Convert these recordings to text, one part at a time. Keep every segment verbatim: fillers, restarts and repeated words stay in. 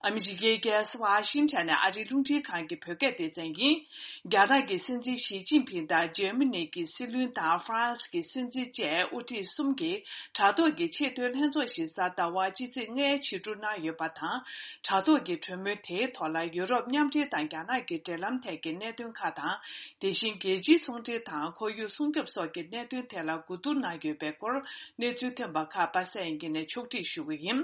ཨ་མི་རི་ཀའི་རྒྱལ་ས་ཝ་ཤིང་ཊོན་ནས་ཨ་རིའི་རླུང་འཕྲིན་ཁང་གི་བོད་སྐད་སྡེ་ཚན་ཡིན། རྒྱ་ནག་གི་སྲིད་འཛིན་ཞི་ཅིན་ཕིང་དང་འཇར་མ་ནི་གི་སྲིད་བློན་དང་ཧྥ་རན་སི་གི་སྲིད་འཛིན་བཅས་དབུ་ཁྲིད་གསུམ་གྱིས་དྲ་ཐོག་གི་ཆེས་མཐོའི་ལྷན་ཚོགས་ཤིག་གཟའ་ཟླ་བ་སྤྱི་ཚེས་ལྔའི་ཕྱི་དྲོ་གནང་ཡོད་པ་དང་། དྲ་ཐོག་གི་གྲོས་མོལ་དེའི་ཐོག་ལ་ཡུ་རོབ་མཉམ་འབྲེལ་དང་རྒྱ་ནག་གི་འབྲེལ་ལམ་ཐད་ཀྱི་གནད་དོན་ཁག་དང་། དེ་བཞིན་རྒྱལ་སྤྱིའི་ཚོང་འབྲེལ་དང་ཁོར་ཡུག་སྲུང་སྐྱོབ་སོགས་ཀྱི་གནད་དོན་ཐད་ལ་གོ་བསྡུར་གནང་ཡོད་པའི་སྐོར་གནས་ཚུལ་ཐོན་པ་ཁག་པ་སངས་དབྱངས་སྐྱིད་ནས་ཕྱོགས་སྒྲིག་ཞུ་གི་ཡིན།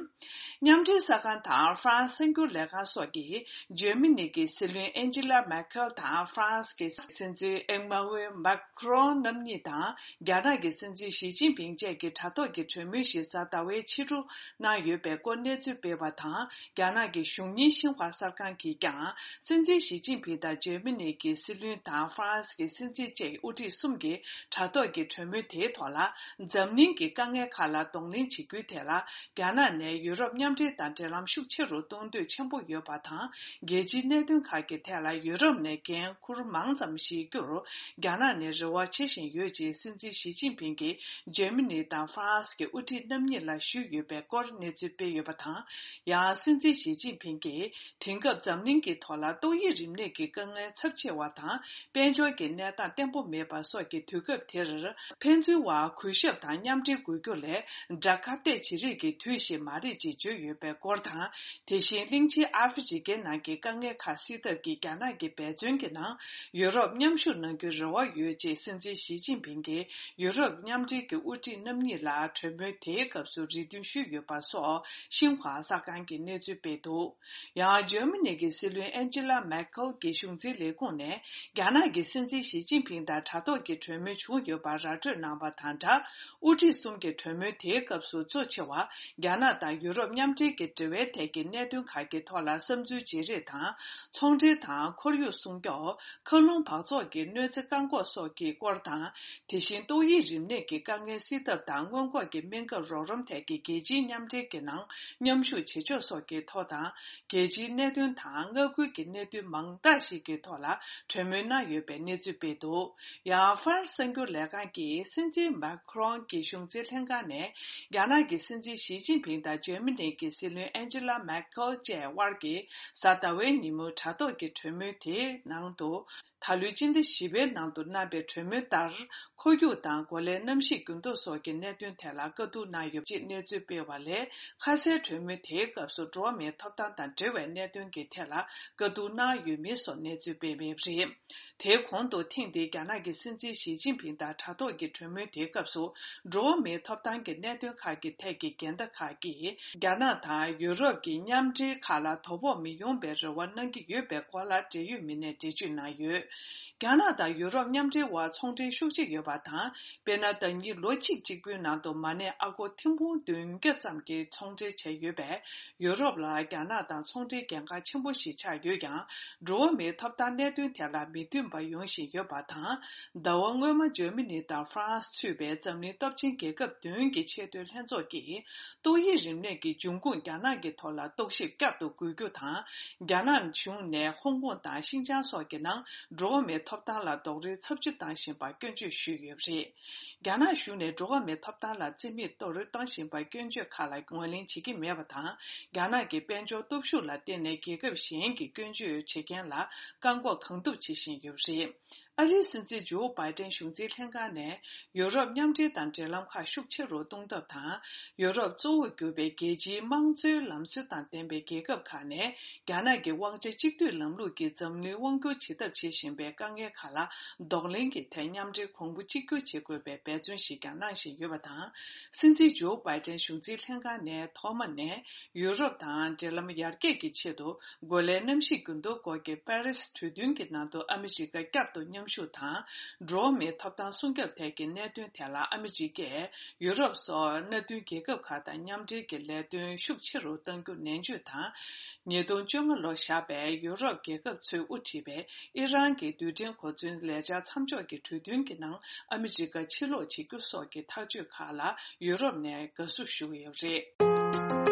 མཉམ་འབྲེལ་གསར་ཁང་དང་ཧྥ་རན་སི་གསར་འགྱུར་ལས་ཁང་སོགས་ཀྱིས་འཇར་མ་ནི་གི་སྲིད་བློན་ཨན་ཇི་ལ་མེར་ཁེལ་དང་ཧྥ་རན་སི་གི་སྲིད་འཛིན་ཨེ་མ་ཝེ་མཱ་ཁི་རོན་རྣམ་གཉིས་དང་རྒྱ་ནག་གི་སྲིད་འཛིན་ཞི་ཅིན་ཕིང་བཅས་ཀྱིས་དྲ་ཐོག་གི་གྲོས་མོལ་ཞིག་གཟའ་ཟླ་བའི་ཕྱི་དྲོ་གནང་ཡོད་པའི་སྐོར་གནས་ཚུལ་སྤེལ་བ་དང་། རྒྱ་ནག་གི་གཞུང་གཉེར་ཤིན་ཧྭ་གསར་ཁང་གིས་ཀྱང་སྲིད་འཛིན་ཞི་ཅིན་ཕིང་དང་འཇར་མ་ནི་གི་སྲིད་བློན་དང་ཧྥ་རན་སི་གི་སྲིད་འཛིན་བཅས་དབུ་ཁྲིད་གསུམ་གྱིས་དྲ་ཐོག་གི་གྲོས་མོལ་དེའི་ཐོག་ལ། འཛམ་གླིང་གི་དཀའ་ངལ་ཁག་ལ་གདོང་ལེན་བྱེད་རྒྱུའི་ཐད་ལ། རྒྱ་ནག་ནས་ཡུ་རོབ་མཉམ་འབྲེལ་དང་འབྲེལ་ལམ་ཤུགས་ཆེ་རུ་གཏོང་འདོད་ཆེན་པོ་ཡོད་པ་དང་། རྒྱལ་སྤྱིའི་གནད་དོན་ཁག་གི་ཐད་ལ་ཡུ་རོབ་ནས་འགན་འཁུར་མང་ཙམ་བཞེས་རྒྱུར་རྒྱ་ནག་ནས་རེ་བ་བྱེད་བཞིན་ཡོད་ཅེས་སྲིད་འཛིན་ཞི་ཅིན་ཕིང་གིས་འཇར་མ་ནི་དང་ཧྥ་རན་སི་གི་དབུ་ཁྲིད་རྣམ་གཉིས་ལ་ཞུས་ཡོད་པའི་སྐོར་གནས་ཚུལ་སྤེལ་ཡོད་པ་དང་། ཡང་སྲིད་འཛིན་ཞི་ཅིན་ཕིང་གིས། དེང་སྐབས་འཛམ་གླིང་གི་ཐོག་ལ་ཏོག་དབྱིབས་རིམས་ནད་ཀྱི་དཀའ་ངལ་ཚབས་ཆེ་བ་དང་། དཔལ་འབྱོར་གྱི་གནས་སྟངས་བརྟན་པོ་མེད་པ་སོགས་ཀྱི་དུས་སྐབས་དེར། ཕན་ཚུན་བར་གུས་ཞབས་དང་མཉམ་འབྲེལ་དགོས་རྒྱུ་ལས། དགྲ་ཁ་གཏད་བྱེད་རེས་ཀྱི་དུས་ཤིག་མ་རེད་ཅེས་བརྗོད་ཡོད་པའི་སྐོར་དང་། དེ་བཞིན་གླིང་ཆེན་ཨ་ཧྥེ་རི་ཁའི་ནང་གི་དཀའ་ངལ་ཁག་སེལ་ཐབས་ཀྱི་རྒྱ་ནག་གི་འབད་བརྩོན་གྱི་ནང་། ཡུ་རོབ་མཉམ་ཞུགས་གནང་རྒྱུའི་རེ་བ་ཡོད་ཅེས་སྲིད་འཛིན་ཞི་ཅིན་ཕིང་གིས་ཡུ་རོབ་མཉམ་འབྲེལ་གྱི་དབུ་ཁྲིད་རྣམ་གཉིས་ལ་གྲོས་མོལ་དེའི་སྐབས་སུ་རེ་འདུན་ཞུས་ཡོད་པ་སོགས་ཤིན་ཧྭ་གསར་ཁང་གིས་གནས་ཚུལ་སྤེལ་འདུག། ཡང་འཇར་མ་ནི་གི་སྲིད་བློན་ཨན་ཇི་ལ་མེར་ཁེལ་གྱི་གཞུང་འཛིན་ལས་ཁུངས་ནས། རྒྱ་ནག་གི་སྲིད་འཛིན་ཞི་ཅིན་ཕིང་དང་དྲ་ཐོག་གི་གྲོས་མོལ་བྱུང་ཡོད་པར་ར་སྤྲོད་གནང་བ་དང་སྦྲགས། དབུ་ཁྲིད་གསུམ་གྱི་གྲོས་མོལ་དེའི་སྐབས་སུ་གཙོ་ཆེ་བ། རྒྱ་ནག་དང་ཡུ་རོབ་མཉམ་འབྲེལ་གྱི་འབྲེལ་བའི་ཐད་ཀྱི་གནད་དོན་ཁག་གི་ཐོག་ལ་བསམ་ཚུལ་བརྗེ་རེས་དང་། ཚོང་འབྲེལ་དང་ཁོར་ཡུག་སྲུང་སྐྱོབ། མཁའ་རླུང་འབག་བཙོག་གི་གནོད་འཚེ་བཀག་འགོག་སོགས་ཀྱི་སྐོར་དང་། དེ་བཞིན་ཏོག་དབྱིབས་རིམས་ནད་ཀྱི་དཀའ་ངལ་སེལ་ཐབས་དང་སྔོན་འགོག་གི་སྨན་ཁབ་རོགས་རམ་ཐད་ཀྱི་རྒྱལ་སྤྱིའི་མཉམ་འབྲེལ་གྱི་ནང་མཉམ་ཞུགས་བྱེད་ཕྱོགས་སོགས་ཀྱི་ཐོག་དང་། རྒྱལ་སྤྱིའི་གནད་དོན་དང་མངའ་ཁུལ་གྱི་གནད་དོན་མང་དག་ཞིག་གི་ཐོག་ལ་གྲོས་མོལ་གནང་ཡོད་པའི་གནས་ཚུལ་སྤེལ་འདུག། ཡང་ཧྥ་རན་སི་གསར་འགྱུར་ལས་ཁང་གིས་སྲིད་འཛིན་མཱ་ཁི་རོན་གྱི་གཞུང་འཛིན་ལྷན་ཁང་ནས། རྒྱ་ནག་གི་སྲིད་འཛིན་ཞི་ཅིན་ཕིང་དང་འཇར་མ་ནི་གི་སྲིད་བློན་ཨན་ཇི་ལ་མེར་ཁེལ་བཅས་དབར་གྱི་གཟའ་ཟླ་བའི་ཉིན་མོའི་དྲ་ཐོག་གི་གྲོས་མོལ་དེའི་ནང་དུ། ད་ལོའི་སྤྱི་ཟླ་བཞི་པའི་ནང་དུ་གནང་པའི་གྲོས་མོལ་ལྟར། ཁོར་ཡུག་དང་གོ་ལའི་གནམ་གཤིས་འགྱུར་ལྡོག་སོགས་ཀྱི་གནད་དོན་ཐད་ལ་བཀའ་བསྡུར་གནང་ཡོད་ཅེས་གནས་ཚུལ་སྤེལ་བ་ལས། ཁ་གསལ་གྲོས་མོལ་དེའི་སྐབས་སུ་འགྲོ་བ་མིའི་ཐོབ་ཐང་དང་འབྲེལ་བའི་གནད་དོན་གྱི་ཐད་ལ་བཀའ་བསྡུར་གནང་ཡོད་མེད་སོགས་གནས་ཚུལ་སྤེལ་མེད་པ་རེད། དེའི་གོང་དུ་ཐེངས་འདིའི་རྒྱ་ནག་གི་སྲིད་འཛིན་ཞི་ཅིན་ཕིང་དང་དྲ་ཐོག་གི་གྲོས་མོལ་དེའི་སྐབས་སུ། འགྲོ་བ་མིའི་ཐོབ་ཐང་གི་གནད་དོན་ཁག་གི་ཐད་ཀྱི་འགལ་ཟླ་ཁག་གིས། རྒྱ་ནག་དང་ཡུ་རོབ་ཀྱི་མཉམ་འབྲེལ་ཁག་ལ་དོ་ཕོག་མི་ཡོང་བའི་རེ་བ་གནང་གི་ཡོད་པའི་སྐོར་ལ་འབྲེལ་ཡོད་མི་སྣས་འགྲེལ་བརྗོད་གནང་ཡོད། རྒྱ་ནག་དང་ཡུ་རོབ་མཉམ་འབྲེལ་དབར་ཚོང་འབྲེལ་ཤུགས་ཆེ་ཡོད་པ་དང་། དཔེར་ན། ཟླ་ཉིན་ལོ་གཅིག་གཅིག་པུའི་ནང་དུ་མ་ཎི་ཨ་སྒོར་ཐེར་འབུམ་བདུན་བརྒྱ་ཙམ་གྱི་ཚོང་འབྲེལ་བྱས་ཡོད་པས། ཡུ་རོབ་ལ་རྒྱ་ནག་དང་ཚོང་འབྲེལ་འགན་ཁག་ཆེན་པོ་ཞིག་ཆགས་ཡོད་ཀྱང་། འགྲོ་བ་མིའི་ཐོབ་ཐང་གནད་དོན་ཐད་ལ་མི་མཐུན་པ་ཡོང་བཞིན་ཡོད་པ་དང་། ཟླ་བ་སྔོན་མ་འཇར་མ་ནི་དང་ཧྥ་རན་སི་ཚུད་པའི་འཛམ་གླིང་སྟོབས་ཆེན་རྒྱལ་ཁབ་བདུན་གྱི་ཆེས་མཐོའི་ལྷན་ཚོགས་ཀྱིས། ཏོག་དབྱིབས་རིམས་ནད་ཀྱི་འབྱུང་ཁུངས་རྒྱ་ནག་གི་ཐོག་ལ་རྟོག་ཞིབ་བསྐྱར་དུ་དགོས་རྒྱུ་དང་། རྒྱ་ནག་གཞུང་ནས་ཧོང་ཀོང་དང་ཤིན་ཅང་སོགས་ཀྱི་ནང་འགྲོ་བ་མིའི་ཐོབ་ཐང་ལ་རྡོག་རོལ་ཚབས་ཆེ་བཏང་བཞིན་པར་སྐྱོན་བརྗོད་ཞུས་ཡོད་པ་རེད། རྒྱ་ནག་གཞུང་ནས་འགྲོ་བ་མིའི་ཐོབ་ཐང་ལ་རྩིས་མེད་རྡོག་རོལ་བཏང་བཞིན་པར་སྐྱོན་བརྗོད་ཁག་ལ་ངོས་ལེན་བྱེད་ཀྱི་མེད་པ་དང་། རྒྱ་ནག་གི་དཔལ་འབྱོར་སྟོབས་ཤུགས་ལ་བརྟེན་ནས་རྒྱལ་ཁབ་གཞན་གྱི་སྐྱོན་བརྗོད་བྱེད་མཁན་ལ་བཀག་འགོག་གང་ཐུབ་བྱེད་བཞིན་ཡོད་པ་རེད། ཨ་རིའི་སྲིད་འཛིན་ཇོ་བྷའི་ཏན་གཞུང་འཛིན་ལྷན་ཁང་ནས་ཡུ་རོབ་མཉམ་འབྲེལ་དང་འབྲེལ་ལམ་ཁག་ཤུགས་ཆེ་རུ་གཏོང་ཐབས་དང་། ཡུ་རོབ་གཙོ་བོར་གྱུར་པའི་རྒྱལ་སྤྱིའི་དམངས་གཙོའི་ལམ་སྲོལ་དང་ལྡན་པའི་རྒྱལ་ཁབ་ཁག་ནས་རྒྱ་ནག་གི་དབང་ཆ་གཅིག་སྡུད་ལམ་ལུགས་ཀྱིས་འཛམ་གླིང་དབང་བསྒྱུར་བྱེད་ཐབས་བྱེད་བཞིན་པའི་དཀའ་ངལ་ཁག་ལ་གདོང་ལེན་གྱི་ཐད་མཉམ་འབྲེལ་གོང་བུ་གཅིག་གྱུར་བྱེད་དགོས་པའི་འབད་བརྩོན་ཞིག་ཀྱང་གནང་བཞིན་ཡོད་པ་དང་། སྲིད་འཛིན་ཇོ་བྷའི་ཏན་གཞུང་འཛིན་ལྷན་ཁང་ནས་ཐོག་མ་ནས་ཡུ་རོབ་དང་འབྲེལ་ལམ་ཡར་རྒྱས་ཀྱི་ཆེད་དུ། གོ་ལའི་གནམ་གཤིས་འགྱུར་ལྡོག་སྐོར་གྱི་པེ་རིས་གྲོས་མཐུན་གྱི་ནང་དུ་ཨ་མི་རི་ཀ་བསྐྱར་དུ་མཉམ་ཞུགས་དང་། འགྲོ་བ་མིའི་ཐོབ་ཐང་སྲུང་སྐྱོབ་ཐད་ཀྱི་གནད་དོན་ཐད་ལ་ཨ་མི་རི་ཀས་ཡུ་རོབ་སོགས་མནའ་མཐུན་རྒྱལ་ཁབ་ཁག་དང་མཉམ་འབྲེལ་གྱི་ལས་དོན་ཤུགས་ཆེ་རུ་གཏང་རྒྱུ་ནན་བརྗོད་དང་། ཉིས་སྟོང་བཅོ་ལྔ་ལོར་བཞག་པའི་ཡུ་རོབ་རྒྱལ་ཁབ་ཚོས་དབུ་ཁྲིད་པའི་ཨི་རན་གྱི་རྡུལ་ཕྲན་གོ་མཚོན་ལས་འཆར་མཚམས་འཇོག་གི་གྲོས་མཐུན་གྱི་ནང་ཨ་མི་རི་ཀ་ཕྱིར་ལོག་བྱེད་རྒྱུ་སོགས་ཀྱི་ཐག་གཅོད་ཁག་ལ་ཡུ་རོབ་ནས་དགའ་བསུ་ཞུ་གི་ཡོད་པ་རེད།